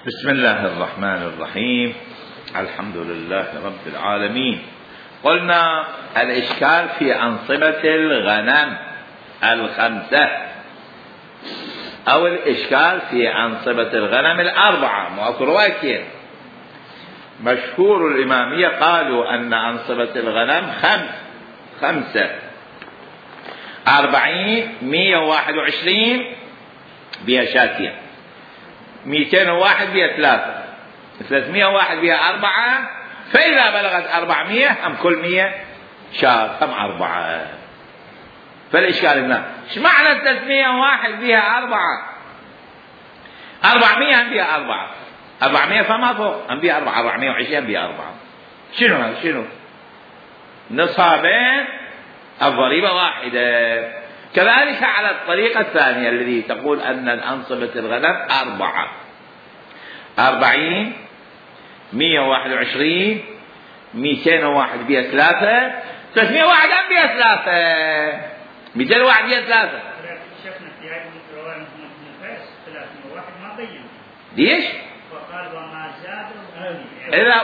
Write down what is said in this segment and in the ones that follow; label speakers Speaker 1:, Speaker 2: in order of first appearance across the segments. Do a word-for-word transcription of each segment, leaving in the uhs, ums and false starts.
Speaker 1: بسم الله الرحمن الرحيم. الحمد لله رب العالمين. قلنا الإشكال في أنصبة الغنم الخمسة أو الإشكال في أنصبة الغنم الأربعة. مؤكد مشهور الإمامية قالوا أن أنصبة الغنم خمس خمسة أربعين مية وواحد وعشرين بها شاتية، مئتين وواحد بها ثلاثة، ثلاثمية وواحد بها أربعة، فإذا بلغت أربعمية هم كل مية شاة هم أربعة. فالإشكال هنا ايش معنى ثلاثمية وواحد بها أربعة؟ أربعمية هم بها أربعة، أربعمية فما فوق هم بها أربعة، أربعمية وعشرين هم بها أربعة. شنو هذا؟ شنو نصابين الضريبة واحدة. كذلك على الطريقة الثانية الذي تقول أن الأنصبة الغنم أربعة، أربعين مية وواحد وعشرين مئتين وواحد بها ثلاثة، ثلاثمية وواحد هم بها ثلاثة، مئتين وواحد بها ثلاثة.
Speaker 2: شفنا في هذه الرواية من فاس ثلاثمية وواحد ما بين
Speaker 1: ليش؟
Speaker 2: وقال وما زاد
Speaker 1: إذا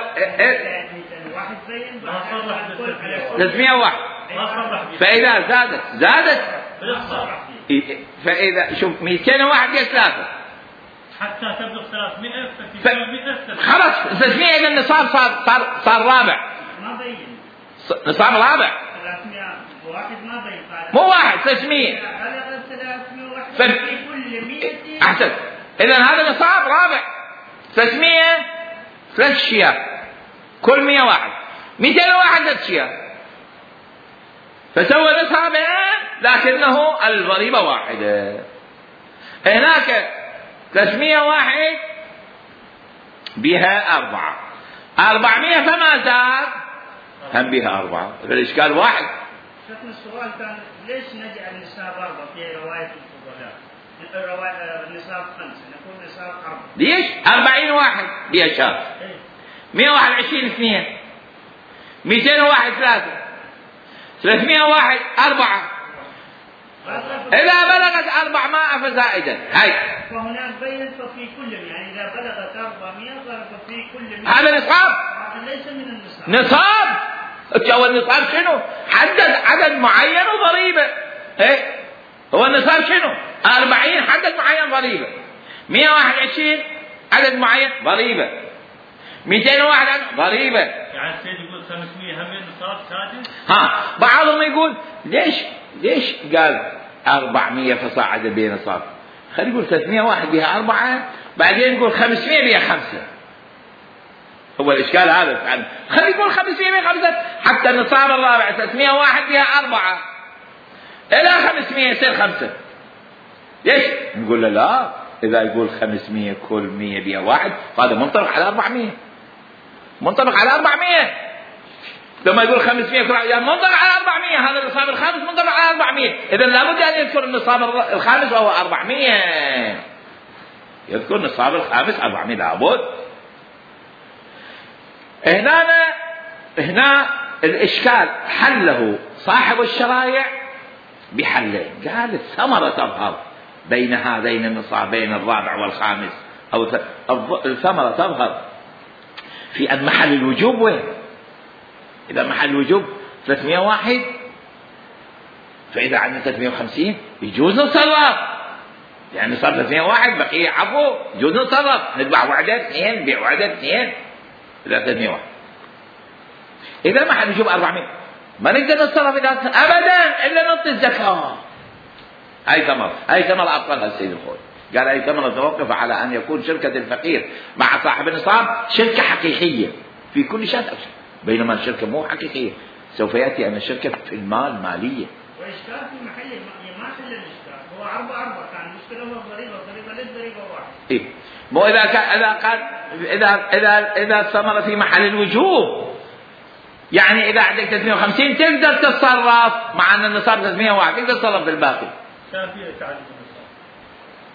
Speaker 2: مئتين وواحد بين
Speaker 1: ثلاثمية وواحد، فإذا زادت زادت فإذا شوف مئتين وواحد بها ثلاثة
Speaker 3: حتى تبلغ ثلاثمية
Speaker 1: ف... خلاص ثلاثمية إذا النصاب صار صار صار رابع،
Speaker 2: ما بين
Speaker 1: نصاب رابع
Speaker 2: ثلاثمية وواحد ما بين
Speaker 1: مو واحد ثلاثمية ف...
Speaker 2: في كل مئة
Speaker 1: أحسن. إذا هذا نصاب رابع، ثلاثمية ثلاث شياه كل مية واحد، مئتين وواحد ثلاث شياه، فسوى نصابين لكنه الضريبة واحدة. هناك ثلاثمية واحد بها أربعة، أربعمية فما زاد هم بها أربعة، فالإشكال واحد.
Speaker 2: شفنا السؤال كان ليش نجعل النصاب أربعة في رواية الفضلاء؟ رواية النصاب خمسة نقول نصاب أربعة.
Speaker 1: ليش؟ أربعين واحد بها شاب، مئة وواحد وعشرين اثنين، مئتين وواحد ثلاثة، ثلاثمية وواحد أربعة، إذا بلغت أربعمائة فزائدا. هاي
Speaker 2: فهناك بين ففي كل يعني إذا بلغت أربعمائة ففي كل
Speaker 1: هذا نصاب،
Speaker 2: هذا ليس من النصاب.
Speaker 1: نصاب هو النصاب شنو؟ حدد عدد معين وضريبة. إيه هو النصاب شنو؟ أربعين حدد معين ضريبة، مئة وواحد وعشرين عدد معين ضريبة، مئتين وواحد ضريبة.
Speaker 3: يعني السيد يقول خمسمية هم النصاب سادس.
Speaker 1: ها بعضهم يقول ليش ليش قال أربعمية فصاعد بين نصاب؟ خلي يقول ثلاثمية واحد بها أربعة، بعدين يقول خمسمية بها خمسة. هو الإشكال هذا يعني خلي يقول خمسمية بها خمسة حتى النصاب الرابع ثلاثمية واحد بها أربعة إلى خمسمية يصير خمسة. ليش؟ نقول له لا، إذا يقول خمسمية كل مية بها واحد هذا منطبق على أربعمية، منطبق على أربعمية. لما يقول خمسمية كل يعني منطبق على أربعمية، هذا النصاب الخامس منطبق على أربعمية. إذا لابد أن يذكر النصاب الخامس وهو أربعمية، يذكر النصاب الخامس أربعمية لابد. هنا هنا الإشكال حله صاحب الشرائع بحلين. قال الثمرة تظهر بين هذين النصابين الرابع والخامس، أو الثمرة تظهر في أن محل الوجوب وين؟ إذا محل الوجوب ثلاثمية وواحد فإذا عندنا ثلاثمية وخمسين يجوز نتصرف، يعني صار ثلاثمية وواحد بقية عفو يجوز نتصرف، نتبع وعدة اثنين نبيع وعدة اثنين إذا ثلاثمية وواحد. إذا محل الوجوب أربعمية ما نقدر نتصرف إذا أبدا إلا نعطي الزكاة. هاي ثمرة، هاي ثمرة أبطلها السيد الخوي، قال هاي ثمرة توقف على أن يكون شركة الفقير مع صاحب النصاب شركة حقيقية في كل شيء، بينما الشركة مو حقيقية. سوف يأتي أن الشركة في المال مالية.
Speaker 2: وإشكال في محل ما حل الإشكال هو أربعة أربعة كان المشكلة هو الضريبة، الضريبة ليس ضريبة واحد.
Speaker 1: إيه مو إذا كان إذا قال إذا إذا إذا الثمرة في محل الوجوب، يعني إذا عندك ثلاثمية وخمسين تقدر تتصرف مع أن النصاب ثلاثمية وواحد تقدر تتصرف بالباقي.
Speaker 3: شافية تعدد النصاب.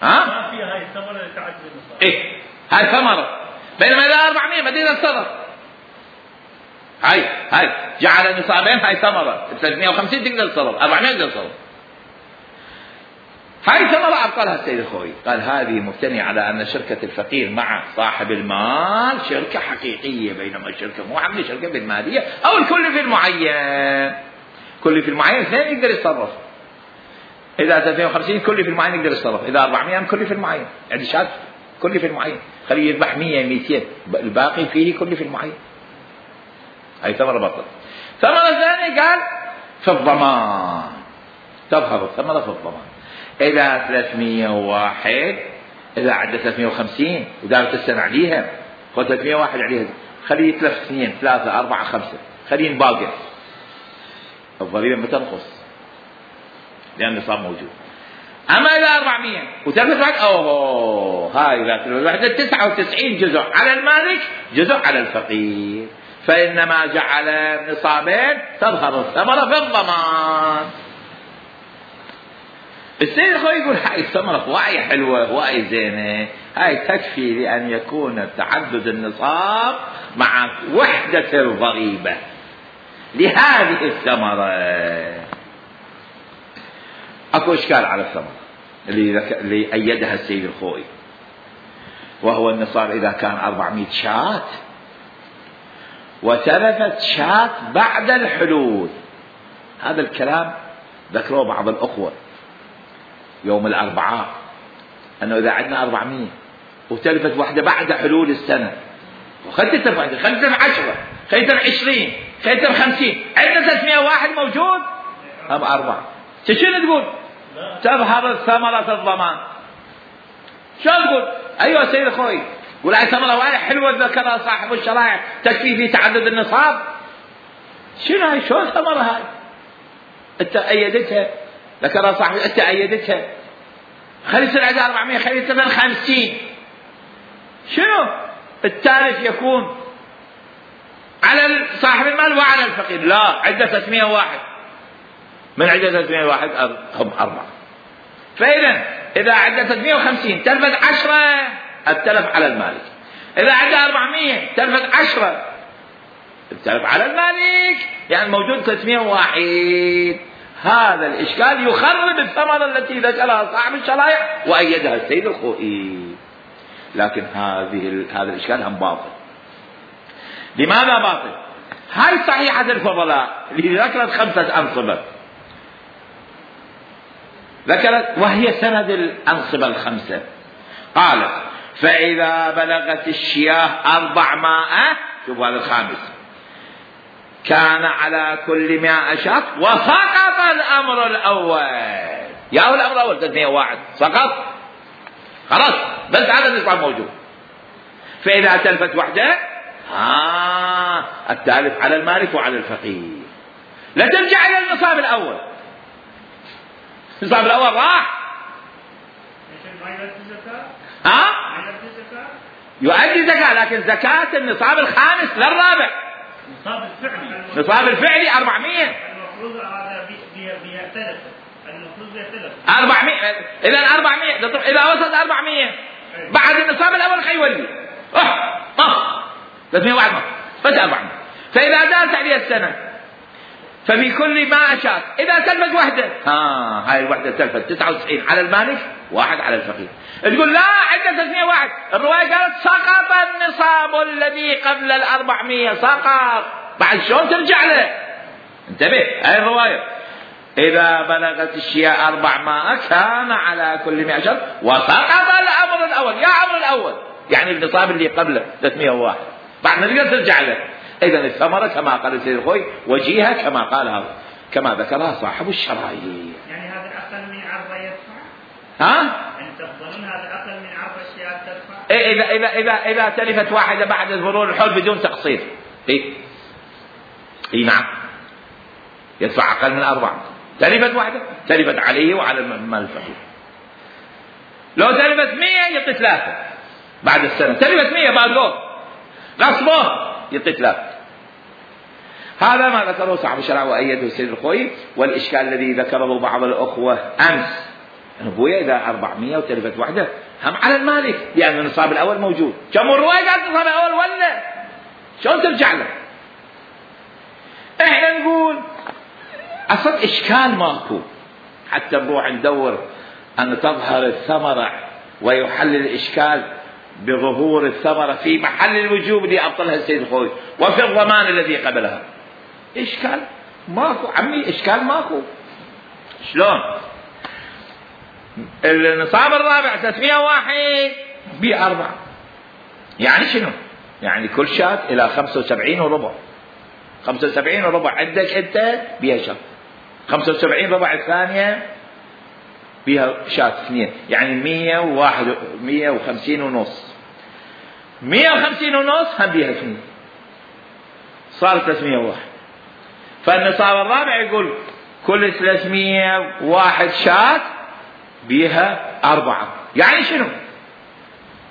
Speaker 1: ها؟
Speaker 3: شافية هاي الثمرة تعدد النصاب.
Speaker 1: إيه هاي ثمرة، بينما إذا أربعمية ما تقدر تتصرف. هاي هاي جعل نصابين هاي ثمرة، ثلاثمية وخمسين تقدر تتصرف، أربعمية تقدر تتصرف. هاي ثمرة أبطلها السيد الخوي، قال هذه مبتنية على أن شركة الفقير مع صاحب المال شركة حقيقية، بينما الشركة مو عاملة شركة بالمالية أو الكل في المعين. كل في المعين اثنين يقدر يتصرف، إذا ثلاثمائة وخمسين كل في المعين يقدر يتصرف، إذا أربعمائة كل في المعين، يعني شات كل في المعين، خليه يذبح مئة مئتين الباقي فيه كل في المعين. هاي ثمرة بطل. ثمرة ثانية قال في الضمان، تظهر الثمرة في الضمان. إذا ثلاثمائة وواحد إذا عدى ثلاثمائة وخمسين ودارت السنة عليها، خذ ثلاثمائة وواحد عليها، خليه يتلف اثنين ثلاثة أربعة خمسة، خليه باقي، الضريبة بتنقص لأن النصاب موجود. أما إذا أربعمائة وتلفت واحد، أوه هاي إذا تلفت واحد تسعة وتسعين جزء على المالك جزء على الفقير، فإنما جعل نصابين تظهر الثمرة في الضمان. السيد الخوي يقول هاي الثمرة واعي حلوة واعي زينة، هاي تكفي لأن يكون تعدد النصاب مع وحدة الضريبة لهذه الثمرة. اكو اشكال على الثمرة اللي, ذك... اللي ايدها السيد الخوي، وهو النصاب اذا كان أربعمائة شاة وتلفت شاة بعد الحلول. هذا الكلام ذكروه بعض الاخوة يوم الاربعاء، انه اذا عندنا أربعمائة وتلفت واحدة بعد حلول السنة، وخلت واحدة خلت عشرة خلت عشرين خلت خمسين، عندنا ثلاثمائة واحد موجود هم أربعة، شنو تقول؟ تظهر الثمرة في الضمان. شو تقول؟ أيها سيد أخوي، قول هاي ثمرة واحدة حلوة ذكرها صاحب الشرائع تكفي في تعدد النصاب. شنو هاي؟ شو الثمرة هاي؟ أنت أيدتها، ذكرها صاحب، أنت أيدتها، خلي يصير عندها أربعمائة، خلي يصير خمسين. شنو؟ التالف يكون على صاحب المال وعلى الفقير. لا، عنده ثلاثمائة واحد، من عدة ثلاثمائة واحد هم أربعة. فإذا إذا عدة ثلاثمائة وخمسين تلفت عشرة التلف على المالك، إذا عدة أربعمائة تلفت عشرة التلف على المالك، يعني موجود ثلاثمائة واحد. هذا الإشكال يخرب الثمرة التي ذكرها صاحب الشرائع وأيدها السيد الخوئي. لكن هذه هذا الإشكال هم باطل. لماذا باطل؟ هاي صحيحة الفضلاء اللي ذكرت خمسة أنصبة، ذكرت وهي سند الأنصبة الخمسة، قالت فإذا بلغت الشياه أربعمائة، شوف هذا الخامس، كان على كل مائة شاة وسقط الأمر الأول. يا هو الأمر الأول ثلاثمائة واحد سقط، خلاص بس هذا النصاب موجود. فإذا تلفت وحده آه التالف على المالك وعلى الفقير، لا ترجع إلى النصاب الأول، النصاب الأول راح. ها؟ يؤدي زكاة، لكن زكاة النصاب الخامس للرابع،
Speaker 3: النصاب الفعلي،
Speaker 1: النصاب الفعلي أربعمائة.
Speaker 2: المفروض هذا بيختلف، المفروض بيختلف
Speaker 1: أربعمائة. إذا أربعمائة إذا وصلت أربعمائة بعد النصاب الأول خيولي أه أه ثلاثمائة واحد بس أربعمائة. فإذا دارت عليها السنة ففي كل ما أشاء إذا تلفت وحدة، ها هاي الوحدة تلفت تسعة وتسعين على المالك واحد على الفقير. تقول لا عندنا ثلاثمائة واحد، الرواية قالت سقط النصاب الذي قبل الأربعمائة، سقط، بعد شلون ترجع له؟ انتبه، هاي الرواية إذا بلغت الشياء أربعمائة كان على كل مئة شرط وسقط الأمر الأول. يا أمر الأول يعني النصاب اللي قبله ثلاثمائة واحد، بعد ما تقدر ترجع له. إذن الثمرة كما قال السيد الخوي وجيهة كما قالها كما ذكرها صاحب الشرائع.
Speaker 2: يعني هذا أقل من عرض يدفع؟
Speaker 1: ها؟
Speaker 2: يعني تفضلون هذا أقل من عرض الشياء تدفع؟
Speaker 1: إيه إذا إذا إذا إذا تلفت واحدة بعد مرور الحول بدون تقسيط، إيه؟ إيه نعم، يدفع أقل من أربعة. تلفت واحدة تلفت عليه وعلى المال الفقير. لو تلفت مئة يعطي ثلاثة بعد السنة، تلفت مئة بعد له غصبه يعطي ثلاثة. هذا ما ذكره صاحب الشرع وأيده السيد الخوي. والإشكال الذي ذكره بعض الأخوة أمس، أبويا إذا أربعمائة وتلفت واحدة هم على المالك لأن النصاب الأول موجود. كم الرواية قالت النصاب الأول ولا شلون ترجع له؟ إحنا نقول أصل إشكال ماكو، حتى نروح ندور أن تظهر الثمرة ويحل الإشكال بظهور الثمرة في محل الوجوب اللي أبطلها السيد الخوي وفي الضمان الذي قبلها. إشكال ماكو عمي، إشكال ماكو. شلون؟ النصاب الرابع ثلاثمائة وواحد بأربعة، يعني شنو؟ يعني كل شاة إلى خمسة وسبعين وربع. خمسة وسبعين وربع عندك أنت بها شاة، خمسة وسبعين ربع الثانية بها شاة اثنين، يعني مية وواحد مية وخمسين ونص، مية وخمسين ونص هم بها اثنين، صار ثلاثمائة وواحد. فالنصاب الرابع يقول كل ثلاثمائة وواحد شاة بها أربعة، يعني شنو؟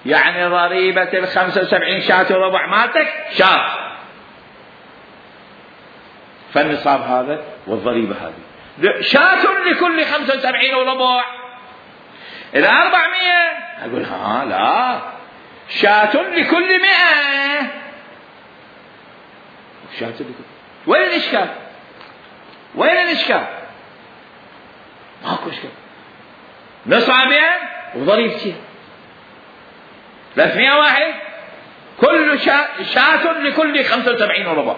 Speaker 1: يعني ضريبة الخمسة وسبعين شاة وربع مالتك شاة، فالنصاب هذا والضريبة هذه شاة لكل خمسة وسبعين وربع. إلى أربعمائة أقول ها لا، شاة لكل مئة، شاة لكل. وين الإشكال؟ وين الإشكال؟ ماكو إشكال. نصابين وضريبتين ثلاثمائة واحد كل شاة, شاة لكل خمسة وسبعين وربع.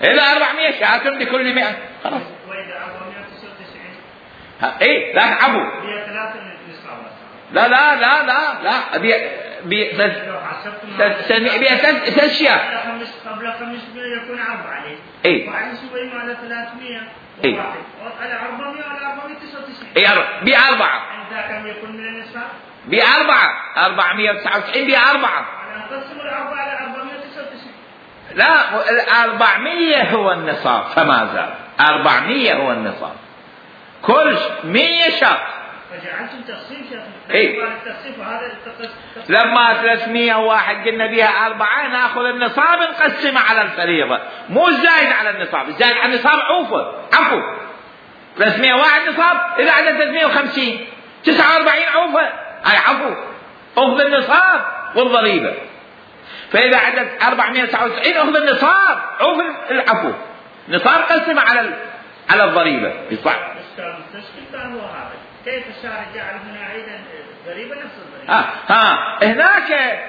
Speaker 1: إلى أربعمائة شاة لكل مئة، خلاص.
Speaker 2: وإذا أربعمائة وتسعة وتسعين
Speaker 1: إيه لا تعبوا،
Speaker 2: هي ثلاثة نصاب.
Speaker 1: لا لا لا لا لا أبي بي بس بي ثلاث أشياء.
Speaker 2: قبل خمسمائة يكون عرض عليه.
Speaker 1: إيه.
Speaker 2: وعلى شوي على ثلاثمائة.
Speaker 1: إيه.
Speaker 2: على أربعمائة على أربعمائة وتسعة وتسعين.
Speaker 1: إيه بأربعة.
Speaker 2: عندها كم يكون من النصاب؟
Speaker 1: بأربعة، أربعمائة وتسعة وتسعين بأربعة.
Speaker 2: أنا أقسم الأربعة على أربعمائة وتسعة وتسعين.
Speaker 1: لا، الأربعمائة هو النصاب فما زال، أربعمائة هو النصاب، كل مئة شاة.
Speaker 2: فجعلتم تقسيم شيخ.
Speaker 1: إيه.
Speaker 2: التقسيم هذا التقسيم.
Speaker 1: لما ثلاثمائة وواحد قلنا بها أربعة نأخذ النصاب نقسمه على الفريضة، مو زايد على النصاب، زايد على النصاب عوفه عفو. ثلاثمائة وواحد نصاب، إذا عدد ثلاثمائة وخمسين تسعة وأربعين عوفه، أي عفو، أخذ النصاب والضريبة. فإذا عدد أربعمائة وتسعة وتسعين أخذ النصاب عوف العفو، نصاب قسمه على على الضريبة يصح.
Speaker 2: التشكيل كان هو هذا، كيف الشارع جعل هنا أيضا ضريبة نفس الضريبة؟
Speaker 1: ها ها هناك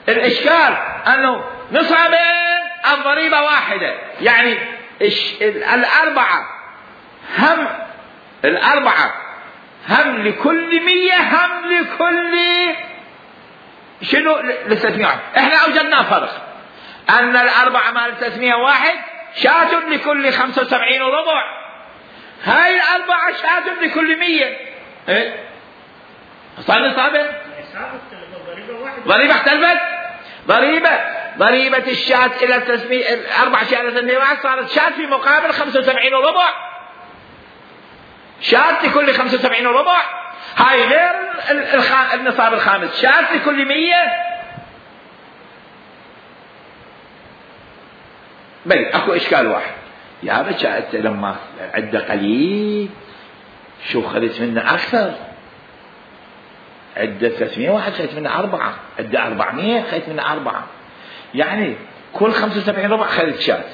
Speaker 1: الإشكال أنه نصابين الضريبة واحدة، يعني الأربعة هم الأربعة هم لكل مية هم لكل شنو لثلاثمائة. احنا اوجدنا فرق ان الاربعة مال ثلاثمائة واحد شاة لكل خمسة وسبعين وربع، هاي الاربعة شاة لكل مية. ايه صار نصابين ضريبة اختلفت، ضريبة ضريبة الشاة الى ثلاثمائة الاربع شاة الى ثلاثمائة واحد صارت شاة في مقابل خمسة وسبعين وربع، شاة لكل خمسة وسبعين وربع، هاي غير النصاب الخامس شاة لكل مية. بل اكو اشكال واحد، يا بچا انت لما عده قليل شو خذت منه اكثر، عده ثلاثمائة واحد خذت منه اربعة، عده أربعمائة خذت منه اربعة، يعني كل خمسة وسبعين ربع خذت شاة،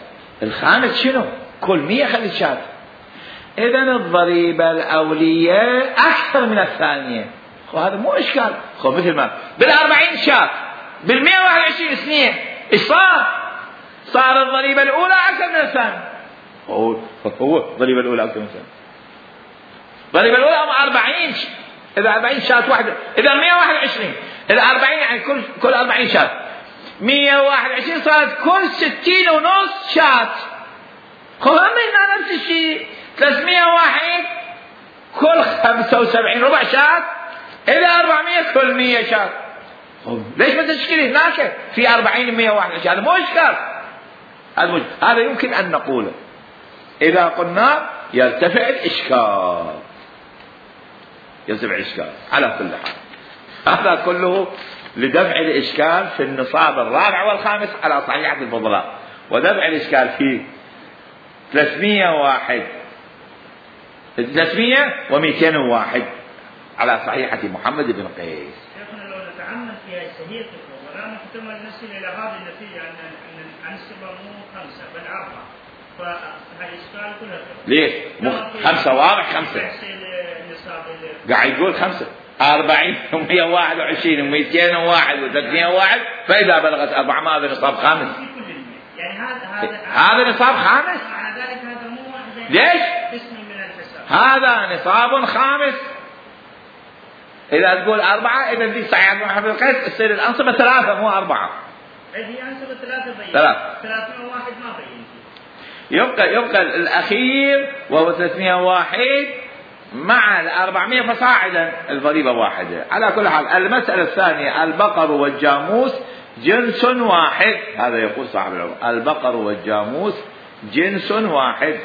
Speaker 1: الخامس شنو؟ كل مية خذت شاة. إذن الضريبة الأولية أكثر من الثانية، وهذا مو إشكال. خو مثل ما بالأربعين شاة بالمئة واحد وعشرين اثنين، إيش صار؟ صار الضريبة الأولى أكثر من الثانية. هو هو الضريبة الأولى أكثر من الثانية. الضريبة الأولى هم أربعين، إذا أربعين شاة واحدة، إذا مئة واحد وعشرين، إذا أربعين يعني كل كل أربعين شاة، مئة واحد وعشرين صارت كل ستين ونص شاة. خو هم هنا نفس الشيء، ثلاثمائة واحد كل خمسة وسبعين ربع شاة، إلى أربعمائة كل مية شاة. ليش ما تشكيل هناك في أربعين مئة واحد وعشرين؟ هذا مو إشكال، هذا هذا يمكن أن نقوله. إذا قلنا يرتفع الإشكال، يرتفع الإشكال على كل حال. هذا كله لدفع الإشكال في النصاب الرابع والخامس على صحيحة الفضلاء، ودفع الإشكال في ثلاثمائة وواحد ثلاثمائة ومئتين وواحد على صحيحة محمد بن قيس.
Speaker 2: شيخنا لو نتعمد في هذه الصحيحة الفضلاء نحتمل نصل إلى هذه النتيجة أن أن النسبة مو خمسة بل أربعة، فالإشكال كلها.
Speaker 1: ليش؟ خمسة واضح خمسة.
Speaker 2: النصاب اللي
Speaker 1: قاعد يقول خمسة أربعين ومئة وواحد وعشرين ومئتين وواحد وثلاثمئة وواحد، فإذا بلغت أربعة ما هذا نصاب خامس.
Speaker 2: في كل المئة. يعني هذا هذا
Speaker 1: هذا نصاب خامس.
Speaker 2: معنى ذلك هذا مو واحد
Speaker 1: ليش؟
Speaker 2: قسم من الحساب.
Speaker 1: هذا نصاب خامس. إذا تقول أربعة إذا دي صحيح محمد القيس تصير الأنصبة ثلاثة مو أربعة.
Speaker 2: هي أنصبة ثلاثة بين.
Speaker 1: ثلاثة.
Speaker 2: ثلاثمئة وواحد ما بين.
Speaker 1: يبقى يبقى الأخير وهو ثلاثمئة وواحد مع الأربعمئة فصاعدا الضريبة واحدة. على كل حال المسألة الثانية البقر والجاموس جنس واحد. هذا يقول صاحب العلم البقر والجاموس جنس واحد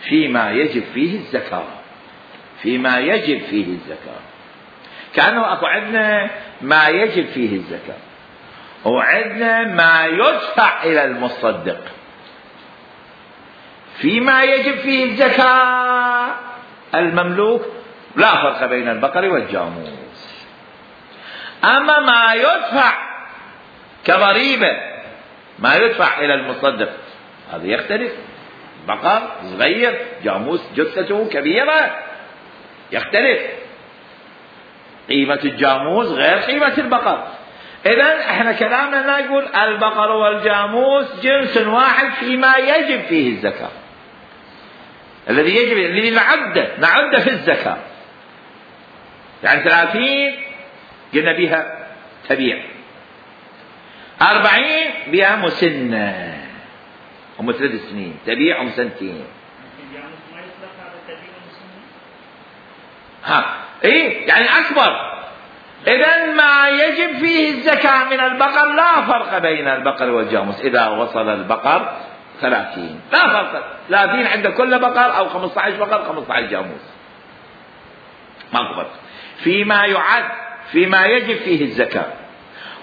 Speaker 1: فيما يجب فيه الزكاة. فيما يجب فيه الزكاة كأنه أكو عندنا ما يجب فيه الزكاة وعندنا ما يدفع إلى المصدق. فيما يجب فيه الزكاة المملوك لا فرق بين البقر والجاموس. أما ما يدفع كضريبة ما يدفع إلى المصدق هذا يختلف. بقر صغير جاموس جثته كبيرة يختلف. قيمة الجاموس غير قيمة البقر. إذن احنا كلامنا لا يقول البقر والجاموس جنس واحد فيما يجب فيه الزكاة. الذي يجب الذي نعده نعده في الزكاة. يعني ثلاثين قلنا بها تبيع، أربعين بها مسنة هم ثلاث سنين تبيع هم سنتين. ها ايه يعني اكبر. اذا ما يجب فيه الزكاة من البقر لا فرق بين البقر والجاموس. اذا وصل البقر ثلاثين لا فرق. ثلاثين عند كل بقر او خمسة عشر بقر خمسة عشر جاموس ما فرق. فيما يعد فيما يجب فيه الزكاة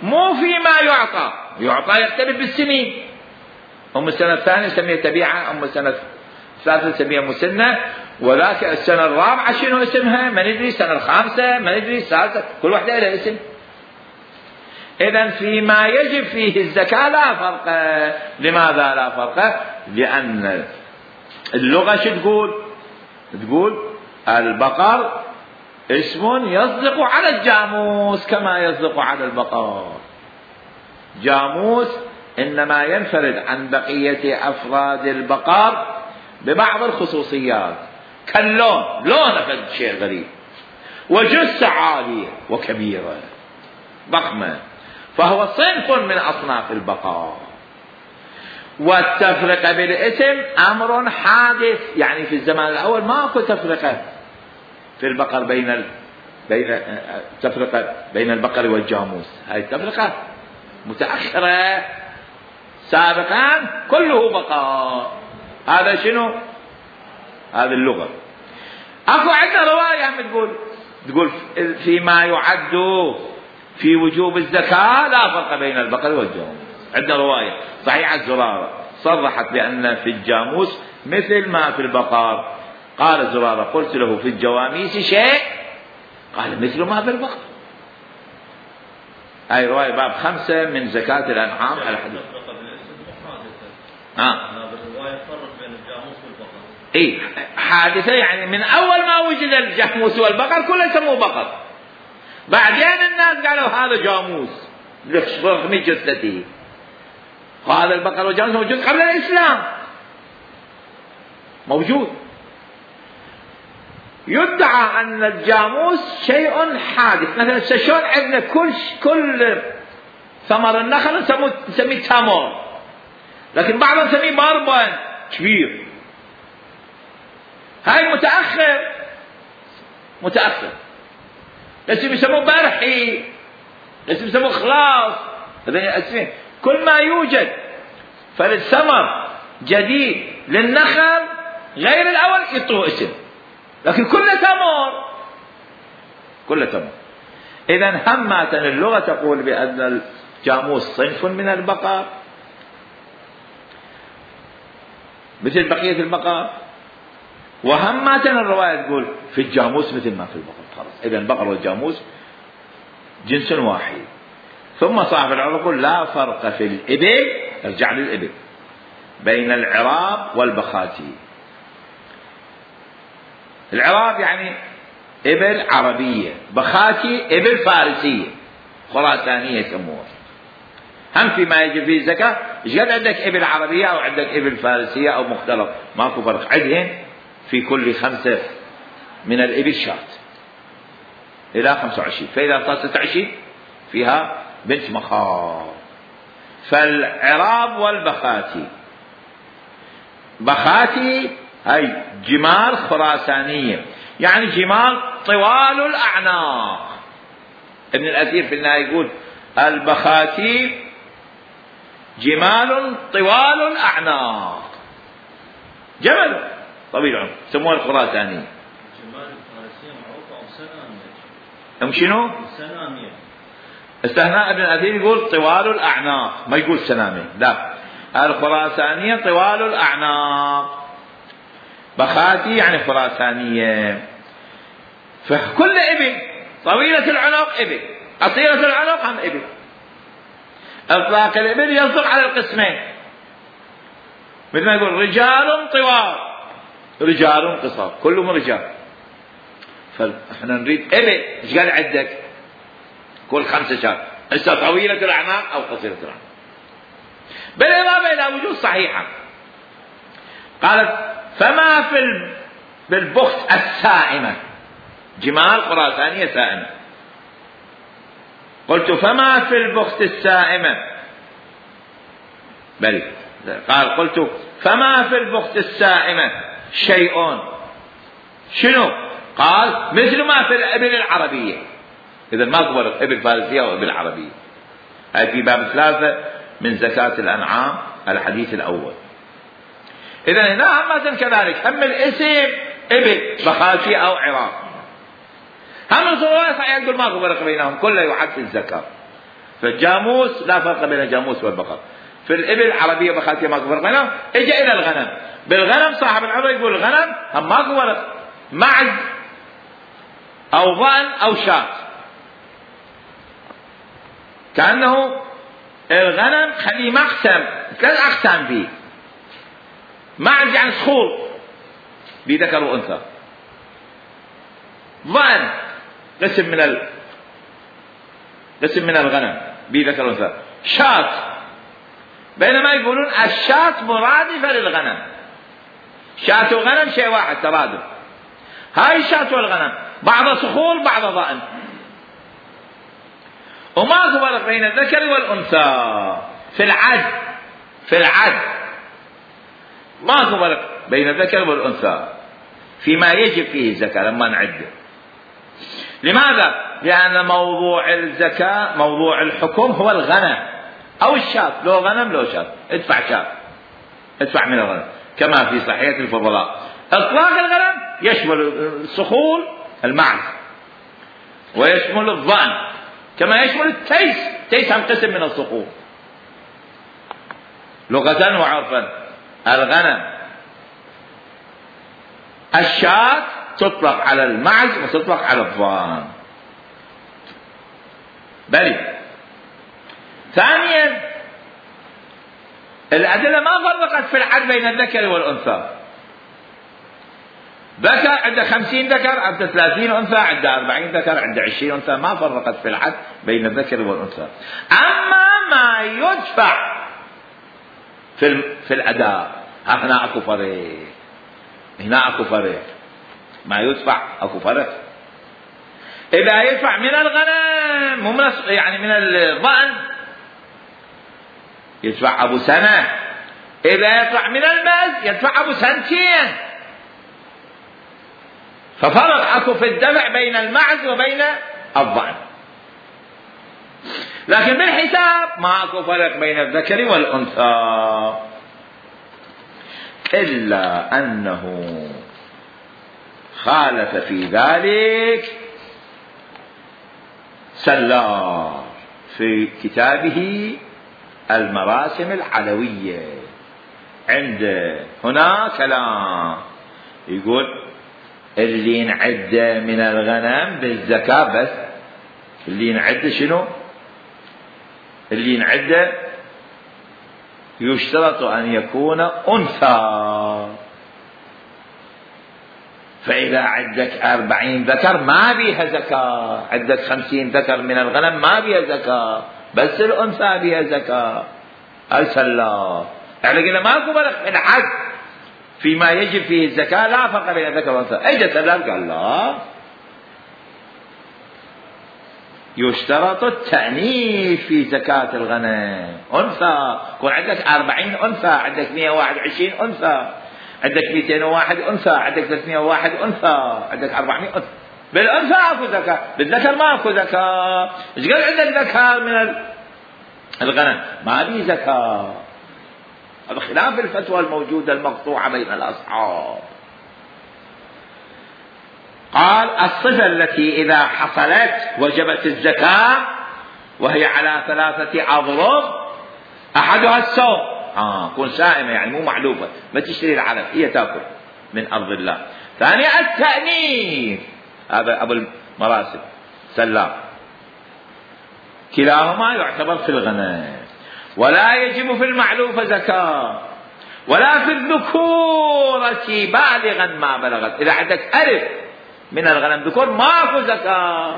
Speaker 1: مو فيما يعطى. يعطى يختلف بالسنين. أم السنة الثانية نسميها تبيعة، أم السنة الثالثة نسميها مسنة، وذاك السنة الرابعة شنو اسمها ما ندري، السنة الخامسة ما ندري، السادسة كل واحدة لها اسم. إذن فيما يجب فيه الزكاة لا فرق. لماذا لا فرق؟ لأن اللغة شو تقول؟ تقول البقر اسم يصدق على الجاموس كما يصدق على البقر. جاموس إنما ينفرد عن بقية أفراد البقر ببعض الخصوصيات كاللون، لونه فد شيء غريب، وجثة عالية وكبيرة ضخمة، فهو صنف من أصناف البقر. والتفرقة بالاسم أمر حادث. يعني في الزمان الأول ماكو تفرقة في البقر بين ال... بين تفرقة بين البقر والجاموس. هاي التفرقة متأخرة. سابقا كله بقر. هذا شنو؟ هذه اللغة. اكو عندنا رواية عم تقول تقول فيما يعد في وجوب الزكاة لا فرق بين البقر والجاموس. عندنا رواية صحيحة زرارة صرحت بأن في الجاموس مثل ما في البقر. قال زرارة قلت له في الجواميس شيء؟ قال مثل ما في البقر. هاي رواية باب خمسة من زكاة الأنعام على حديث. ها
Speaker 3: الرواية فرق بين الجاموس والبقر.
Speaker 1: اي حادثة. يعني من أول ما وجد الجاموس والبقر كله سموه بقر. بعدين الناس قالوا هذا جاموس رغم جثته. وهذا البقر والجاموس موجود قبل الإسلام موجود. يدعى أن الجاموس شيء حادث. مثلا شلون عندنا كل كل ثمر النخل نسميه تمر، لكن بعضهم نسميه بربن كبير. هاي متأخر متأخر. لازم يسموه برحي، لازم يسموه خلاص. هذين اسمين. كل ما يوجد فالثمر جديد للنخل غير الأول يعطوه اسم، لكن كله تمر كله تمر. إذن همة اللغة تقول بأن الجاموس صنف من البقر مثل بقية البقر، وهمة الرواية تقول في الجاموس مثل ما في البقر. خلاص إذن البقر والجاموس جنس واحد. ثم صاحب العرب يقول لا فرق في الإبل، ارجع للإبل، بين العراب والبخاتي. العراب يعني إبل عربية، بخاتي إبل فارسية خراسانية يسموها. هم فيما يجب فيه الزكاة، ايش قد عندك إبل عربية أو عندك إبل فارسية أو مختلط، ماكو فرق. عدهن في كل خمسة من الإبل شات إلى خمسة وعشرين، فإذا صار ستة وعشرين فيها بنت مخاض. فالعراب والبخاتي، بخاتي هاي جمال خراسانية، يعني جمال طوال الأعناق. ابن الأثير في النهاية يقول البخاتي جمال طوال الأعناق، جمل طويل العنق سموها الخراسانية.
Speaker 3: جمال الفارسية معروفة أو سنامية؟
Speaker 1: أم شنو؟
Speaker 3: سنامية.
Speaker 1: استثناء ابن الأثير يقول طوال الأعناق، ما يقول سنامية، لا، الخراسانية طوال الأعناق، بخاتي يعني خراسانية. فكل إبل طويلة العنق إبل، قصيرة العنق هم إبل. إطلاق الإبل يصدق على القسمين، مثل ما يقول رجال طوال رجال قصار، كلهم رجال. فاحنا نريد إبل، ايش قال عندك؟ كل خمسة شهر، هسه طويلة الأعناق أو قصيرة الأعناق. بالإضافة إلى وجود صحيحة قالت فما في بالبخت السائمة، جمال خراسانية سائمة. قلت فما في البخت السائمة، بل قال قلت فما في البخت السائمة شيء، شنو؟ قال مثل ما في الإبل العربية. إذا ما فرق إبل فارسية وإبل عربية. هاي في باب ثلاثة من زكاة الأنعام الحديث الأول. إذا هنا هم كذلك، هم الاسم إبل بخاتي أو عراق، هم الخواص يقول ماكو فرق بينهم، كله يحد في الزكاة. فالجاموس لا فرق بين الجاموس والبقر. في الإبل العربية بخاتي ماكو فرق بينهم. اجى إلى الغنم، بالغنم صاحب العمر يقول الغنم هم ماكو فرق، معز أو ضأن أو شاة. كأنه الغنم خليه مقسم، ثلاث أقسام فيه. معز يعني صخور بذكر وأنثى، ضأن قسم من ال... قسم من الغنم بذكر وأنثى، شاة. بينما يقولون الشاة مرادفة للغنم، شاة وغنم شيء واحد ترادف. هاي الشاة والغنم بعض صخور بعض ضأن، وما فرق بين الذكر والأنثى في العد. في العد ما فرق بين الذكر والأنثى فيما يجب فيه الزكاة لما نعده. لماذا؟ لأن موضوع الزكاة موضوع الحكم هو الغنم أو الشاة، لو غنم لو شاة ادفع شاة، ادفع من الغنم، كما في صحيح الفضلاء. إطلاق الغنم يشمل الصخور المعز، ويشمل الضأن، كما يشمل التيس. التيس هم قسم من الصخور لغة وعرفا. الغنم الشاة تطلق على المعز وتطلق على الضأن. بل ثانيا الأدلة ما فرقت في العد بين الذكر والأنثى. ذكر عنده خمسين ذكر، عنده ثلاثين أنثى، عنده أربعين ذكر، عنده عشرين أنثى، ما فرقت في العد بين الذكر والأنثى. أما ما يدفع في في الأداء هنا أكو فرق، هنا أكو فرق، ما يدفع أكو فرق. إذا يدفع من الغنم مو من يعني من الضأن يدفع أبو سنة، إذا يدفع من الماز يدفع أبو سنتين. ففرق أكو في الدفع بين المعز وبين الضأن. لكن بالحساب ما أكو فرق بين الذكر والأنثى، إلا أنه خالف في ذلك سلار في كتابه المراسم العلوية. عند هنا كلام يقول اللي ينعد من الغنم بالزكاة بس، اللي ينعد شنو؟ اللي ينعد يشترط أن يكون أنثى. فإذا عندك أربعين ذكر ما بيها زكاة، عندك خمسين ذكر من الغنم ما بيها زكاة، بس الأنثى بيها زكاة. السلام احنا قلنا ماكو فرق في الحد فيما يجب فيه الزكاة، لا فرق بين الذكر والأنثى. اجى سلام قال لا، يشترط التأنيث في زكاة الغنم. أنثى يكون عندك أربعين أنثى، عندك مئة وواحد وعشرين أنثى، عندك مئتين وواحد أنثى، عندك ثلاثمئة وواحد أنثى، عندك أربعمئة أنثى. بالأنثى أكو زكاة، بالذكر ما أكو زكاة. إيش قال عندك ذكر من الغنم ما بي زكاة؟ هذا خلاف الفتوى الموجودة المقطوعة بين الأصحاب. قال الصفة التي إذا حصلت وجبت الزكاة وهي على ثلاثة أضرب، أحدها الصوم، آه كون سائمة يعني مو معلوفة، ما تشتري العلف، هي تأكل من أرض الله. ثانيا التأنيث، هذا أبو المراسل سلام، كلاهما يعتبر في الغنم. ولا يجب في المعلوفة زكاة ولا في الذكورة بالغا ما بلغت. إذا عندك ألف من الغنم ذكور ماكو زكاة.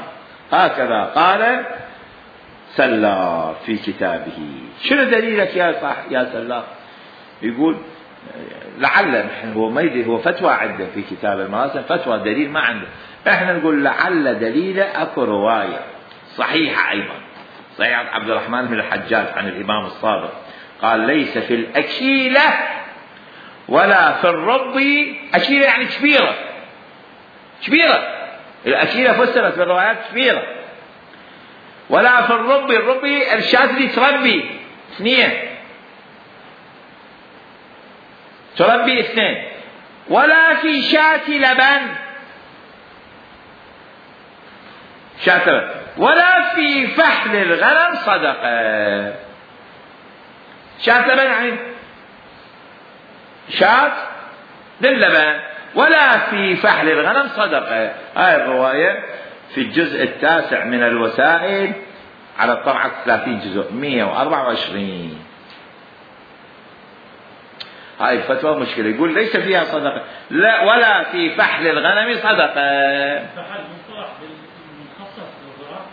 Speaker 1: هكذا قال سلام في كتابه. شنو دليلك يا صح يا سلام؟ يقول لعل، هو ما يدري، هو فتوى عنده في كتاب المراسل، فتوى دليل ما عنده. احنا نقول لعل دليله اكو رواية صحيحة ايضا، صحيح عبد الرحمن بن الحجاج عن الامام الصادق قال ليس في الاكيلة ولا في الرب، اكيلة يعني كبيرة، كبيرة، الاكيلة فسرت في الروايات كبيرة، ولا في الرب، الرب الشاة اللي تربي اثنين، تربي اثنين، ولا في شاة لبن، شاة لبن، ولا في فحل الغنم صدقة. شاة لبن يعني شاة للبن، ولا في فحل الغنم صدقة. هاي الرواية في الجزء التاسع من الوسائل على الطبعة ثلاثين جزء مئة وأربعة وعشرين. هاي الفتوى مشكلة، يقول ليس فيها صدقة، لا ولا في فحل الغنم صدقة.
Speaker 3: فحل مصطلح بالمخصص للزراعة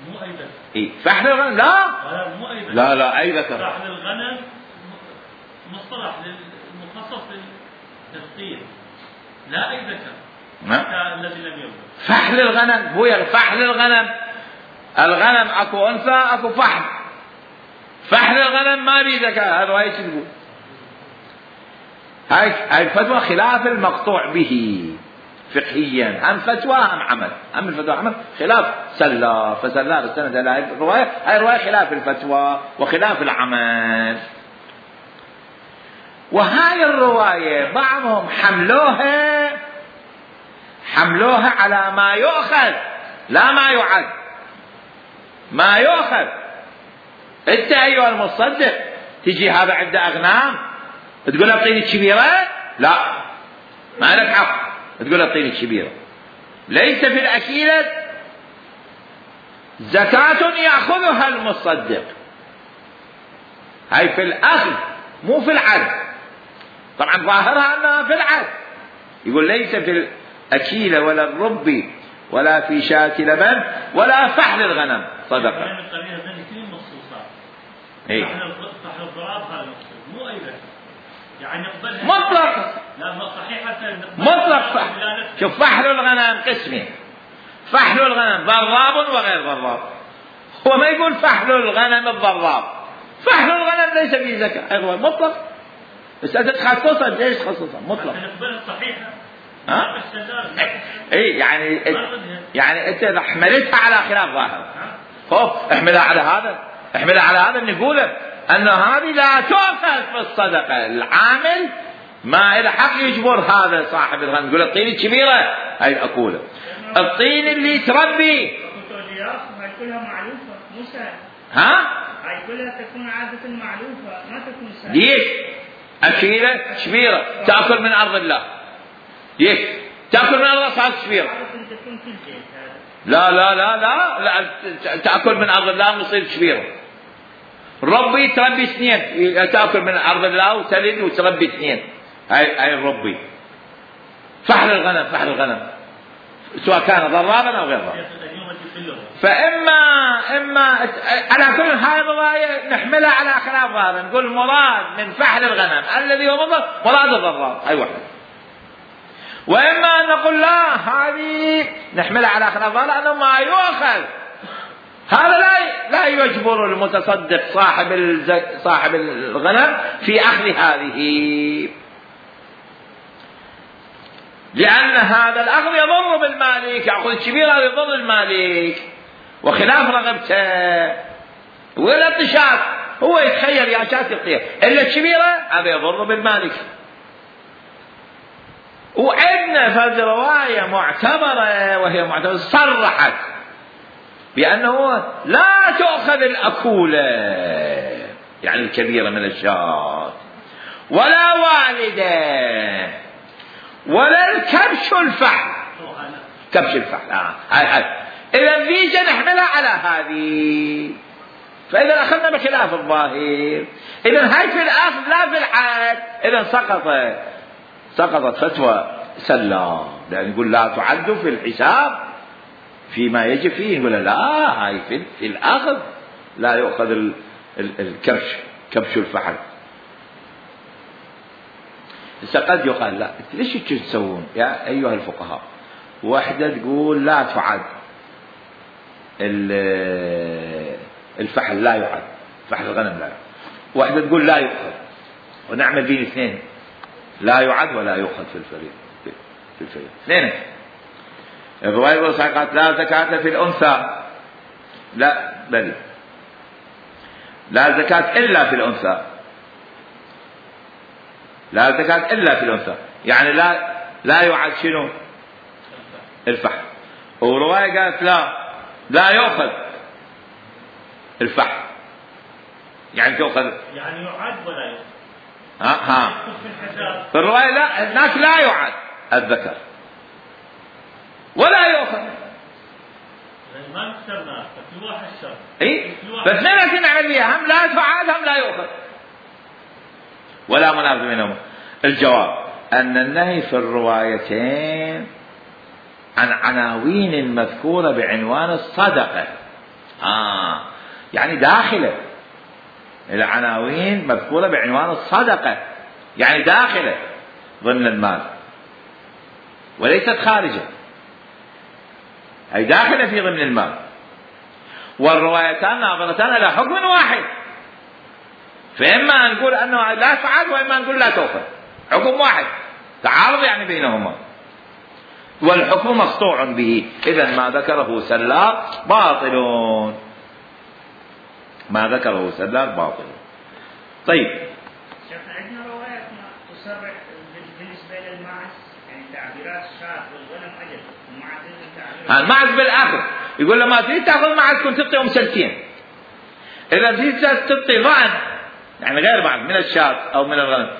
Speaker 3: مو أي ذكر.
Speaker 1: إيه فحل الغنم لا
Speaker 3: لا مو أي ذكر.
Speaker 1: لا لا أي ذكر.
Speaker 3: فحل الغنم مصطلح مخصص للتثقيل، لا أي ذكر. حتى الذي لم يولد.
Speaker 1: فحل الغنم هو فحل الغنم، الغنم اكو انثى اكو فحل، فحل الغنم ما بي زكاة. هذا ايش تقول؟ هاي هاي الفتوى خلاف المقطوع به فقهيا، هم فتوى هم عمل، هم الفتوى عمل خلاف سلا فسلا بالسند هاي الرواية، هاي الرواية خلاف الفتوى وخلاف العمل. وهاي الرواية بعضهم حملوها حملوها على ما يؤخذ لا ما يعد. ما يؤخذ، انت ايها المصدق تجي هذا عنده اغنام تقول له اعطيني كبيرة، لا ما لك حق تقول له اعطيني كبيرة. ليس في الاكيلة زكاة ياخذها المصدق، هاي في الاخذ مو في العد. طبعا ظاهرها انها في العد، يقول ليس في الأكيلة ولا الرب ولا في شاة لبن ولا فحل الغنم صدقة.
Speaker 3: يعني القرينة ذلك كل مخصوصات.
Speaker 1: إيه؟
Speaker 3: فحل الضراب هذا مخصوص مو أي ذكر. يعني يقبلها
Speaker 1: مطلق.
Speaker 3: لا صحيحة
Speaker 1: مطلق فحل. شوف فحل الغنم قسمين، فحل الغنم ضراب وغير ضراب. هو ما يقول فحل الغنم الضراب، فحل الغنم ليس فيه زكاة، أيضا مطلق. بس أنت تخصصها ليش تخصصها مطلق؟
Speaker 3: يقبلها صحيحة.
Speaker 1: ها؟ اي يعني يعني انت اذا حملتها على خلاف ظاهر، خوف احملها على هذا، احملها على هذا نقوله ان هذه لا تؤخذ في الصدقه. العامل ما له حق يجبر هذا صاحب الغنم، يقول الطين الكبيره هاي الاكوله، الطين اللي تربي
Speaker 2: هاي كلها معلوفه مو سهل.
Speaker 1: ها؟
Speaker 2: هاي كلها تكون عاده معلوفه ما تكون سهل.
Speaker 1: ليش؟ اكيله كبيره تاكل من ارض الله، ليش؟ تأكل من أرض صارت كبيرة. لا لا لا لا لا تأكل من أرض الله وتصير كبيرة. ربي تربي اثنين، تأكل من أرض الله وتلد وتربي اثنين. هاي هاي الربي. فحل الغنم فحل الغنم سواء كان ضرابا أو غير ضرابا. فإما إما على كل هاي الرواية نحملها على خلاف ظاهر، نقول مراد من فحل الغنم الذي هو مضر مراد الضراب، أي واحدة. وإما أن نقول لا هذه نحملها على خلاف ظاهر لأنه ما يؤخذ، هذا لا لا يجبر المتصدق صاحب الزك صاحب الغنم في أخذ هذه، لأن هذا الأخذ يضر بالمالك، يأخذ الشبيرة يضر المالك وخلاف رغبته ولا الطشاط، هو يتخيل يا شات يعطيه إلا الشبيرة هذا يضر بالمالك. وعندنا فرد رواية معتبرة وهي معتبرة صرحت بأنه لا تؤخذ الأكولة يعني الكبيرة من الشاة ولا والدة ولا الكبش الفحل، كبش الفحل آه. هاي هاي إذا فيجا نحملها على هذه، فإذا أخذنا بخلاف الظاهر، إذا هاي في الأخذ لا في الحد، إذا سقطت سقطت فتوى سلام، لأن يقول لا تعد في الحساب فيما يجب فيه، يقول لا هاي في, في الأخذ لا يؤخذ ال ال الكبش كبش الفحل. قد يقال لا ليش تسوون يا أيها الفقهاء، واحدة تقول لا تعد الفحل لا يعد، فحل الغنم لا يعد، واحدة تقول لا يؤخذ، ونعمل بين اثنين لا يعد ولا يؤخذ في الفريق في الفريق اثنين. الرواية الوصية قالت لا زكاة في الأنثى، لا بل لا زكاة إلا في الأنثى، لا زكاة إلا في الأنثى، يعني لا لا يعد شنو الفحل. ورواية قالت لا لا يؤخذ الفحل، يعني تؤخذ
Speaker 3: يعني يعد ولا يؤخذ.
Speaker 1: ها ها في الرواية لا هناك لا يعد الذكر ولا يؤخذ،
Speaker 3: ما نكسرنا في واحد شر
Speaker 1: اي فاثنين نعمل بيها، هم لا تعاد هم لا يؤخذ ولا منافذ بينهما. الجواب أن النهي في الروايتين عن عناوين مذكورة بعنوان الصدقة، آه يعني داخلة العناوين مذكورة بعنوان الصدقة، يعني داخلة ضمن المال وليست خارجة، أي داخلة في ضمن المال. والروايتان ناظرتان إلى حكم واحد، فإما أن نقول أنه لا تعاد وإما أن نقول لا تؤخذ، حكم واحد تعارض يعني بينهما، والحكم مقطوع به. إذن ما ذكره سلاق باطل، ما ذكره سلاق باطل. طيب
Speaker 2: شيخنا عندنا روايات تصرح بالنسبة للماعز، يعني تعبيرات الشاة والغنم أجل الماعز
Speaker 1: الماعز بالآخر يقول لما تريد تأخذ معز كنت تعطيهم سلتين، إذا تريد تعطي ضأن يعني غير بعض من الشاة أو من الغنم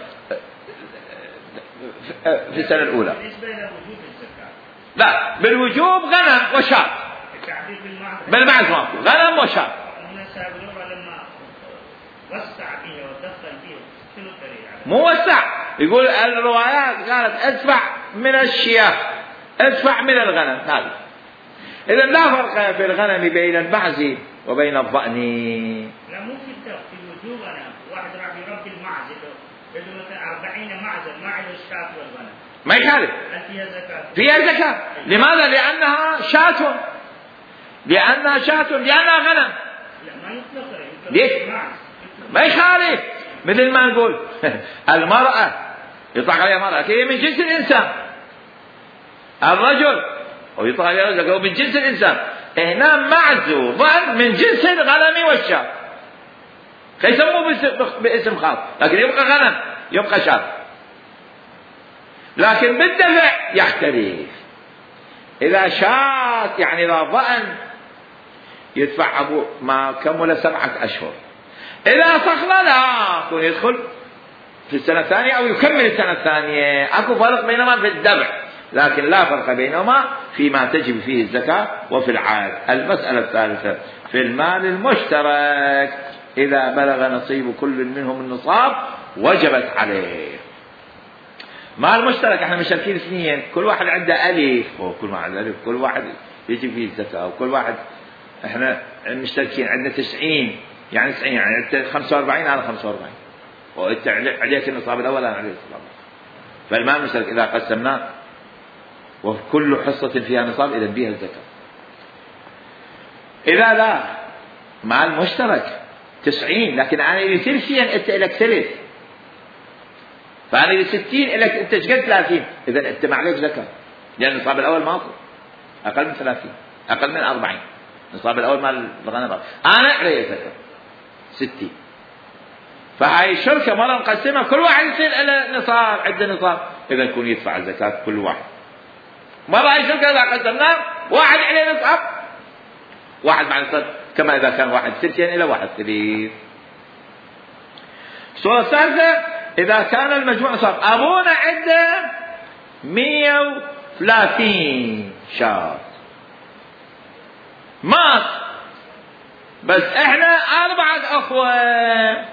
Speaker 1: في السنة الأولى.
Speaker 2: بالنسبة لوجوب الزكاة
Speaker 1: لا بالوجوب غنم وشاة،
Speaker 2: التعبير بالماعز
Speaker 1: بالماعز ماكو غنم وشاة.
Speaker 2: من السابقون لما وسع فيها ودخل فيها شنو الدليل على؟
Speaker 1: مو وسع، يقول الروايات قالت ادفع من الشياه ادفع من الغنم هذا. إذا لا فرق في الغنم بين المعز وبين الضأن.
Speaker 2: لا مو في الدفع في الوجوب. أنا واحد راح يربي المعز له مثلا أربعين معزا ما عنده الشاة والغنم
Speaker 1: ما يخالف،
Speaker 2: هل فيها زكاة؟
Speaker 1: فيها زكاة. لماذا؟ لأنها شاة، لأنها شاة لأنها غنم.
Speaker 2: لا ما يطلق
Speaker 1: ليش؟ ما يخالف، مثل ما نقول المرأة يطلق عليها مرأة هي من جنس الإنسان، الرجل ويطلق عليها رجل هو من جنس الإنسان. هنا معز وضأن من جنس الغنم والشاة، فيسموه باسم خاص، لكن يبقى غنم يبقى شاة. لكن بالدفع يختلف، إذا شاة يعني إذا ضأن يدفع أبو ما كمل سبعة أشهر، إذا صخلة لا يكون يدخل في السنة الثانية أو يكمل السنة الثانية. أكو فرق بينهما في الدفع، لكن لا فرق بينهما فيما تجب فيه الزكاة وفي العاد. المسألة الثالثة في المال المشترك، إذا بلغ نصيب كل منهم النصاب وجبت عليه. مال مشترك احنا مشتركين اثنين، كل واحد عنده ألف، وكل واحد ألف، كل واحد يجي فيه الزكاة، وكل واحد احنا مشتركين عندنا تسعين، يعني تسعين يعني انت خمسة وأربعين انا خمسة وأربعين، وانت عليك النصاب الاول انا علي النصاب الاول. فالمال المشترك اذا قسمناه وكل حصة فيها نصاب اذا بها الزكاة. اذا لا مال مشترك تسعين لكن انا لي ثلثين انت لك ثلث، فانا لي ستين لك انت شقد ثلاثين، اذا انت ما عليك زكاة، لان النصاب الاول ماكو، اقل من ثلاثين، اقل من أربعين، النصاب الاول مال الغنم انا علي زكاة ستين. فهاي الشركة مرة مقسمة كل واحد يصير له نصاب، عنده نصاب، اذا يكون يدفع الزكاة كل واحد. مرة هاي الشركة اذا قسمناه واحد عليه نصاب، واحد مع نصاب، كما اذا كان واحد ثلثين الى واحد ثلث. الصورة الثالثة اذا كان المجموع نصاب، ابونا عنده مية وثلاثين شاة مات، بس احنا اربعة اخوة،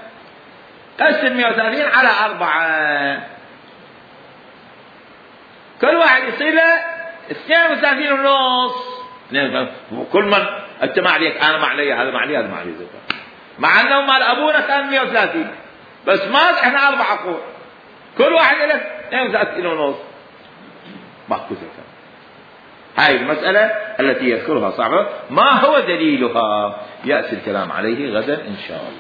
Speaker 1: قسم مية وثلاثين على اربعة، كل واحد يصير له اثنين وثلاثين ونص. كل من انت ما عليك انا ما علي هذا ما علي هذا ما علي زكاة، مع انه مال ابونا كان مية وثلاثين بس مات احنا اربعة اخوة، كل واحد له اثنين وثلاثين ونص، ماكو زكاة. هاي المسألة التي يذكرها صاحبه ما هو دليلها يأتي الكلام عليه غدا إن شاء الله.